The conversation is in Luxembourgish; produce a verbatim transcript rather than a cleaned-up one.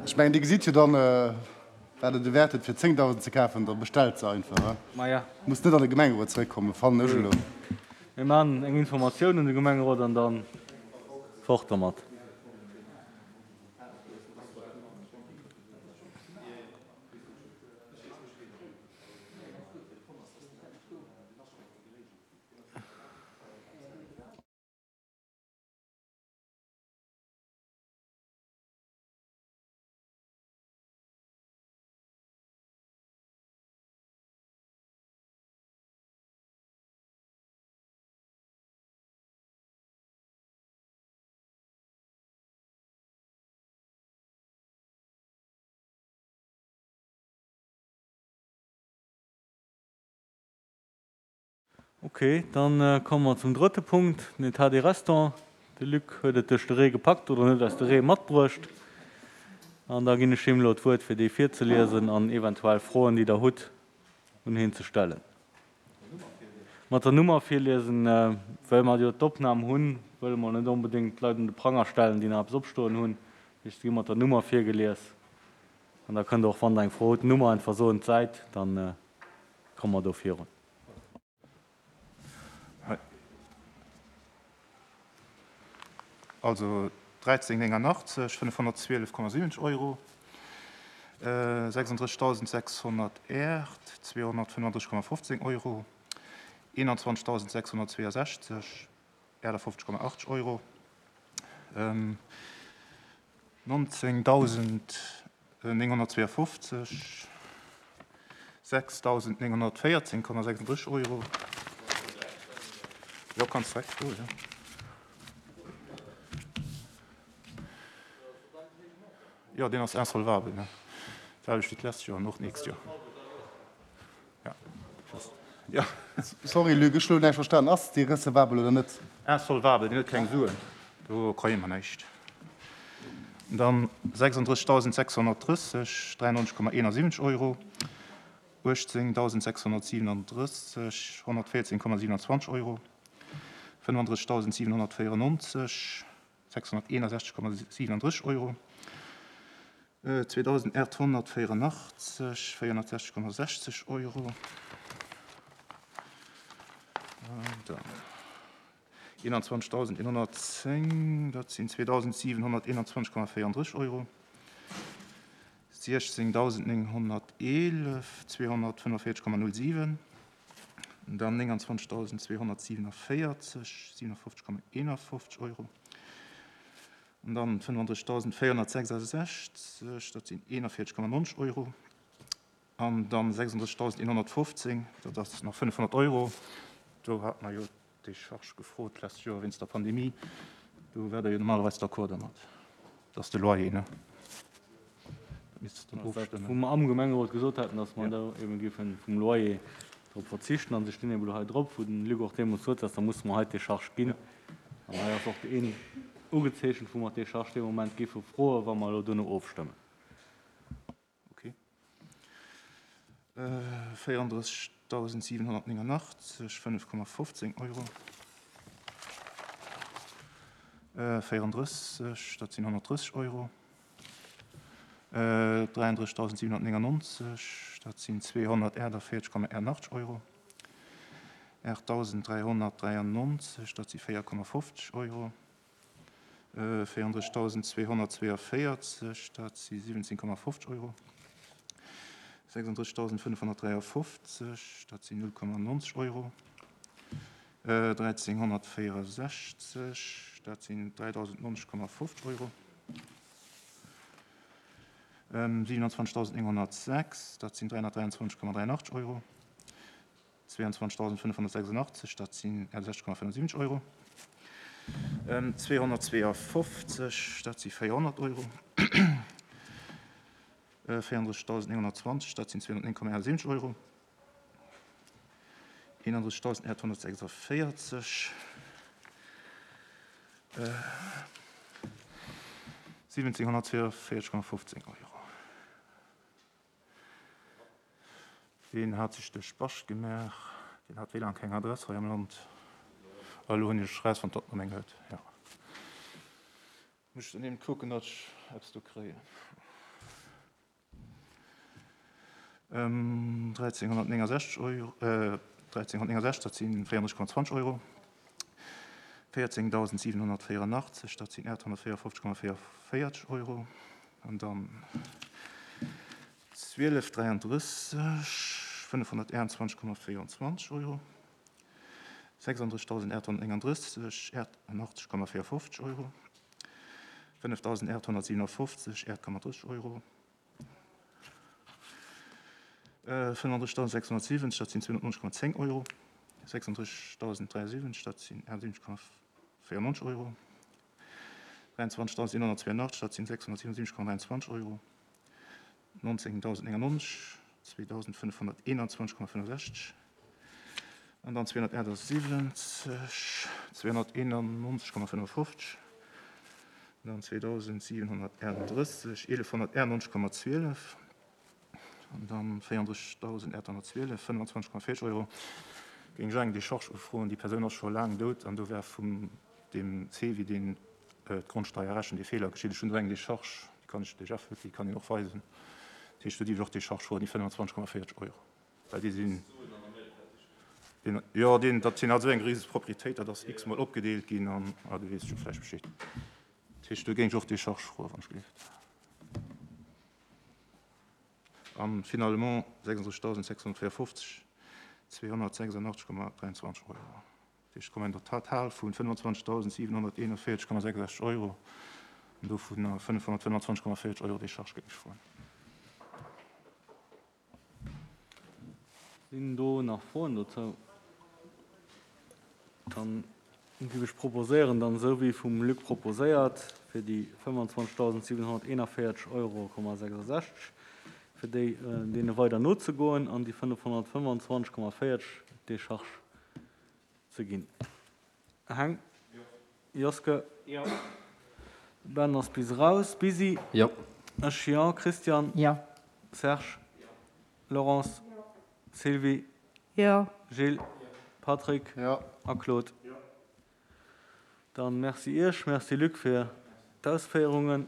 Ech mengen, Dir gesitt jo dann, wat et de Wäert huet, fir zéngdausend ze kafen, da bestellt se einfach. Maja. Muss net an de Gemengerot zeréckkommen, fannen ech elo. Mir maachen eng Informatioun un de Gemengerot an da fort dermat. Ok, dann komme mer zum drëtte Punkt, den État des restants. De Luc huet et duerch de Ree gepackt oder en huet eis de Ree matbruecht. An da ginn ech him elo d'Wuert, fir déi virzeliesen an eventuell Froen, déi Der hutt, un hien ze stellen. Mat der Nummer virliesen, well mer jo d'Opnam hunn, wëlle mer net onbedéngt d'Leit un de Pranger stellen, déi nach eppes opstoen hunn. Dat heescht, se gi mat der Nummer virgelies. An da kënnt Der och, wann Der eng Fro hutt, d'Nummer einfach soen, d'Säit, da komme mer do virun. Also dräizéng néngannachtzeg, fënnefhonnertzwielef Komma siwwenzeg Euro, sechsunddrëssigtausendsechshonnertaart, zweehonnertfënnefandrësseg Komma fofzéng Euro, eenanzwanzegtausendsechshonnertzweeasechzeg, achtafofzeg Komma achtzeg Euro, nonzéngdausendnénghonnertzweeafofzeg, sechsdausendnénghonnertvéierzéng Komma sechsunddrësseg Euro. Jo, kanns direkt froen, jo. Jo, deen ass insolvabel, ne? D'selwecht wéi d'lescht Joer an och d'nächst Joer. Ja, just, ja. Sorry Luc, ech hu lo näischt verstanen. Ass dee recevabel oder net? Insolvabel, deen huet keng Suen, do kréie mer näischt. Dann sechsunddrëssigtausendsechshonnertdrësseg, dräiannonzeg Komma eenasiwwenzeg Euro, uechtzéngtausendsechshonnertsiwwenunddrësseg, honnertvéierzéng Komma siwenanzwanzeg Euro, fënnefandrëssigtausendsiewenhonnertvéierennonzeg, sechshonnerteenasechzeg Komma siwenunddrësseg Euro, zweedausendaathonnertvéierunachtzeg, véierhonnertsechzeg Komma sechzeg Euro, dann eenanzwanzegtausendeenhonnertzéng, dat sinn zweedausendsiewenhonnerteenanzwanzeg Komma véierunddrësseg Euro, siechzéngdausendnénghonnerteelef, zweehonnertfënnefvéierzeg Komma null siwen, dann nénganzwanzegtausendzweehonnertsiewenundvéierzeg, siewenundfofzeg Komma eenafofzeg Euro, an dann fënnefundrëssigtausendvéierhonnertsechsasechzeg, dat sinn eenanvéierzeg Komma nonzeg Euro, an dann sechsunddrëssigtausendeenhonnertfofzéng, dat ass nach fënnefhonnert Euro. Do hate mer jo d'Décharge gefrot d'lescht Joer wéinst der Pandemie. Do wäert Der jo normalerweis d'accord dermat. Dat ass de Loyer, ne? Dat misst Der dann ofstëmmen. Wou mer am Gemengerot gesot haten, dass mer do eeben géife vum Loyer drop verzichten. An se stinn eeben elo hei drop, wou den Luc och deemools sot, dass da musse mer hei d'Décharge ginn. An hei ass och een ugezeechent, wou mer d'Décharge dee Moment géife froen, wa mer elo duerno ofstëmmen. Ok. véierunddrëssigtausendsiewenhonnertnéngannachtzeg, fënnef Komma fofzéng Euro. Véierunddrësseg, dat sinn honnertdrësseg Euro. Dräianddrëssigtausendsiewenhonnertnéngannonzeg, dat sinn zweehonnertaachtavéierzeg Komma achtundachtzeg Euro. Aachtausenddräihonnertdräiannonzeg, dat si véier Komma fofzeg Euro. Véierunddrëssigtausendzweehonnertzweeënvierzeg, dat si siwwenzéng Komma fofzeg Euro. Sechsunddrëssigtausendfënnefhonnertdräiafofzeg, dat sinn null Komma nonzeg Euro. Dräizénghonnertvéierundsechzeg, dat sinn dräidausendnonzeg Komma fofzeg Euro. Siwenanzwanzegtausendnénghonnertsechs, dat sinn dräihonnertdräianzwanzeg Komma dräiannachtzeg Euro. Zweeanzwanzegtausendfënnefhonnertsechsundachtzeg, dat sinn sechzeg Komma fënnefundsiwwenzeg Euro. Zweehonnertzweeafofzeg, dat si véierhonnert Euro. Véierunddrëssigtausendnénghonnertzwanzeg, dat sinn zweehonnertnéng Komma siwwenzeg Euro. Eenandrëssigtausendaathonnertsechsundvéierzeg, siwwenzénghonnertzweeënvéierzeg Komma fofzéng Euro. Deen hat sech de Spascht gemaach, deen hat wéi laang keng Adress hei am Land. A elo hunn ech erausfonnt, datt en eng huet, jo. Muss ech dann eben kucken, datt ech eppes do kréien. dräizénghonnertnéngensechzeg Euro, dräizénghonnertnéngensechzeg, dat si véierunddrësseg Komma zwanzeg Euro, véierzéngdausendsiwenhonnertvéierunachtzeg, dat sinn aathonnertvéierfofzeg Komma véierundvéierzeg Euro, an dann zwielef dräianddrësseg, fënnefhonnerteenundzwanzeg Komma véierundzwanzeg Euro, sechsandrëssigdausendaathonnertnénganddrësseg, achtundachtzeg Komma véierfofzeg Euro, fënnefdausendaathonnertsiewenundfofzeg, aacht Komma drësseg Euro, fënnefundrëssigdausendsechshonnertsiwwenzeg, dat sinn zweehonnertneunzeg Komma zéng Euro, sechsunddrëssigdausend dräiundsiwwenzeg, dat sinn achtundsiwwenzeg Komma véierundneunzeg Euro, dräiundzwanzigdausendeenhonnertzweiundachtzeg, dat sinn sechshonnertsiewenundsiwwenzeg Komma dräiundzwanzeg Euro, nonzéngdausendnéngundneunzeg, zweedausendfënnefhonnerteenanzwanzeg Komma fënnefsechzeg an dann zweehonnertachtundsiwwenzeg, zweehonnerteenundneunzeg Komma fënnefundfofzeg, dann zweedausendsiewenhonnertaachtundrësseg, eelefhonnertachtundneunzeg Komma zwielef an dann véierunddrëssigdausendaathonnertzwielef, fënnfundzwanzeg Komma véierzeg Euro. Géing ech eng Decharge ufroen. Déi Persoun ass scho laang dout an do war vum deem C V I, deen d'Grondsteier rechent, dee Feeler geschitt. Ech hunn do eng Decharge, déi kann ech lech déi kann een och weisen. Dat heescht, do dierf ech och Decharge froen, déi fënnfundzwanzeg Komma véierzeg Euro. Well déi sinn, deen, jo, deen, dat sinn also eng rieseg Propriétéit, dat ass x-mol opgedeelt ginn an, ah, du weess scho vläicht Bescheed. Dat heescht, do géing ech och Decharge froen, wann ech gelift. An finalement sechsunddrëssigdausendsechshonnertvéierundfofzeg, zweehonnertsechsundachtzeg Komma dräiundzwanzeg Euro. Dat heescht, kommen der Total vun fënnfundzwanzigdausendsiewenhonnerteenundvéierzeg Komma sechsundsechzeg Euro an dovun fënnefhonnertfënnfundzwanzeg Komma véierzeg Euro Decharge géing ech froen. Sinn do nach Froen dozou? Dann géif ech proposéieren, dann esou wéi vum Luc proposéiert, fir déi fënnfundzwanzigdausendsiewenhonnerteenundvéierzeg Euro Komma sechsundsechzeg, fir déi deene weider nozegoen an déi fënnefhonnertfënnfundzwanzeg Komma véierzeg Decharge ze ginn. Heng? Joske? Jo. Ben ass bis raus. Bisi? Jo. Ech jo. Christian? Jo. Serge? Laurence? Sylvie? Jo. Gilles? Patrick? Jo. A Claude? Dann merci Iech, merci Luc fir d'Ausféierungen.